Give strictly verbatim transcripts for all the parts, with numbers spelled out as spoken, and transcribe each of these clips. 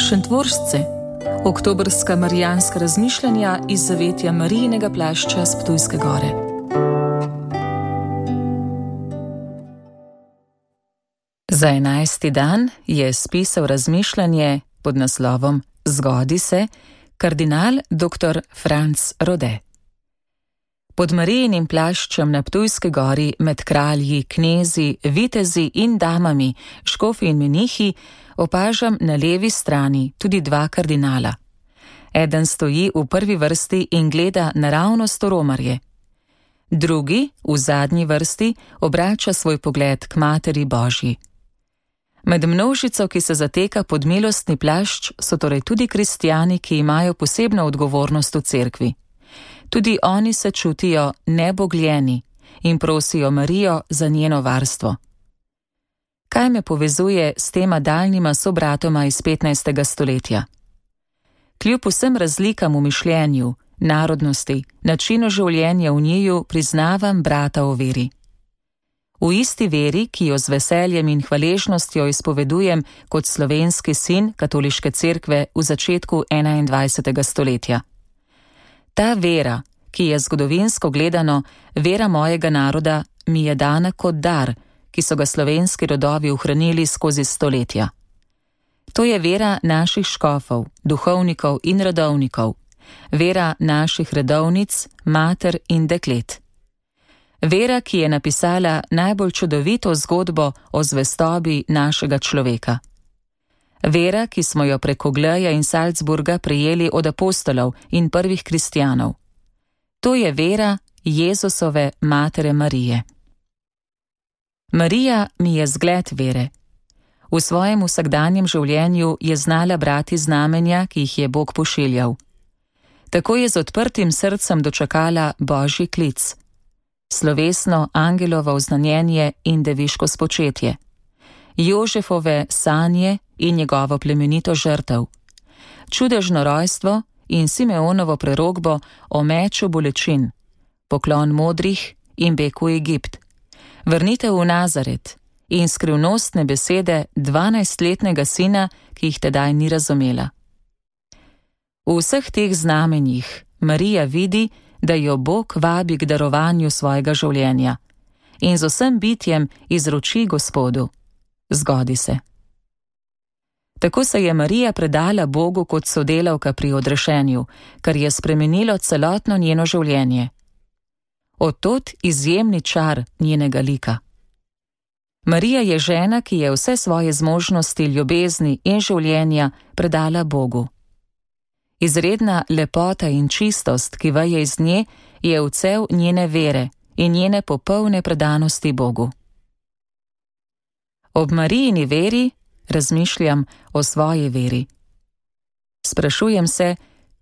Šentvoržce, oktobrska marijanska razmišljanja iz zavetja Marijinega plašča s Ptujske gore. Za enajsti dan je spisal razmišljanje pod naslovom Zgodi se kardinal doktor Franc Rode. Pod Marijinim plaščem na Ptujski gori med kralji, knezi, vitezi in damami, škofi in menihi opažam na levi strani tudi dva kardinala. Eden stoji v prvi vrsti in gleda naravnost v romarje. Drugi, v zadnji vrsti, obrača svoj pogled k Materi Božji. Med množico, ki se zateka pod milostni plašč, so torej tudi kristjani, ki imajo posebno odgovornost v cerkvi. Tudi oni se čutijo nebogljeni in prosijo Marijo za njeno varstvo. Kaj me povezuje s tema daljnima sobratoma iz petnajstega stoletja? Kljub vsem razlikam v mišljenju, narodnosti, načinu življenja v njiju priznavam brata v veri. V isti veri, ki jo z veseljem in hvaležnostjo izpovedujem kot slovenski sin katoliške cerkve v začetku enaindvajsetega stoletja. Ta vera, ki je zgodovinsko gledano vera mojega naroda, mi je dana kot dar, ki so ga slovenski rodovi ohranili skozi stoletja. To je vera naših škofov, duhovnikov in redovnikov, vera naših redovnic, mater in deklet. Vera, ki je napisala najbolj čudovito zgodbo o zvestobi našega človeka. Vera, ki smo jo preko Gleja in Salzburga prejeli od apostolov in prvih kristjanov. To je vera Jezusove matere Marije. Marija mi je zgled vere. V svojem vsakdanjem življenju je znala brati znamenja, ki jih je Bog pošiljal. Tako je z odprtim srcem dočakala Božji klic. Slovesno angelovo oznanjenje in deviško spočetje. Jožefove sanje in njegovo plemenito žrtev. Čudežno rojstvo in Simeonovo prerokbo o meču bolečin. Poklon modrih in beg v Egipt. Vrnitev v Nazaret in skrivnostne besede dvanajstletnega sina, ki jih tedaj ni razumela. V vseh teh znamenjih Marija vidi, da jo Bog vabi k darovanju svojega življenja in z vsem bitjem izroči Gospodu. Zgodi se. Tako se je Marija predala Bogu kot sodelavka pri odrešenju, kar je spremenilo celotno njeno življenje. Od tod izjemni čar njenega lika. Marija je žena, ki je vse svoje zmožnosti, ljubezni in življenja predala Bogu. Izredna lepota in čistost, ki veje iz nje, je vcev njene vere in njene popolne predanosti Bogu. Ob Marijini veri razmišljam o svoji veri. Sprašujem se,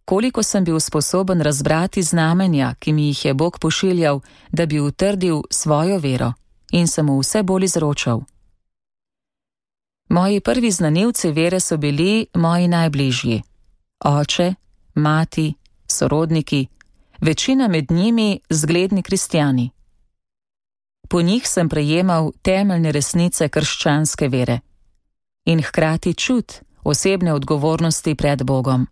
koliko sem bil sposoben razbrati znamenja, ki mi jih je Bog pošiljal, da bi utrdil svojo vero in sem mu vse bolj izročal. Moji prvi znanilci vere so bili moji najbližji. Oče, mati, sorodniki, večina med njimi zgledni kristjani. Po njih sem prejemal temeljne resnice krščanske vere in hkrati čut osebne odgovornosti pred Bogom.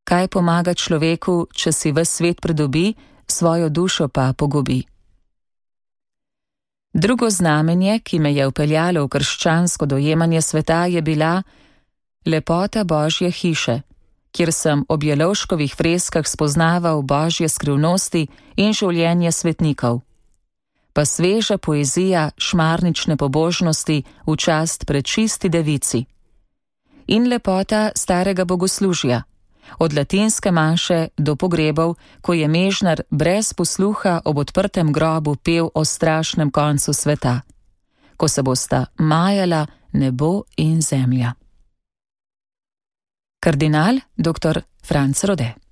Kaj pomaga človeku, če si ves svet pridobi, svojo dušo pa pogubi? Drugo znamenje, ki me je vpeljalo v krščansko dojemanje sveta, je bila lepota Božje hiše, kjer sem ob Jelovškovih freskah spoznaval Božje skrivnosti in življenje svetnikov. Pa sveža poezija šmarnične pobožnosti v čast prečisti devici. In lepota starega bogoslužja, od latinske maše do pogrebov, ko je mežnar brez posluha ob odprtem grobu pel o strašnem koncu sveta, ko se bosta majala nebo in zemlja. Kardinal doktor Franc Rode.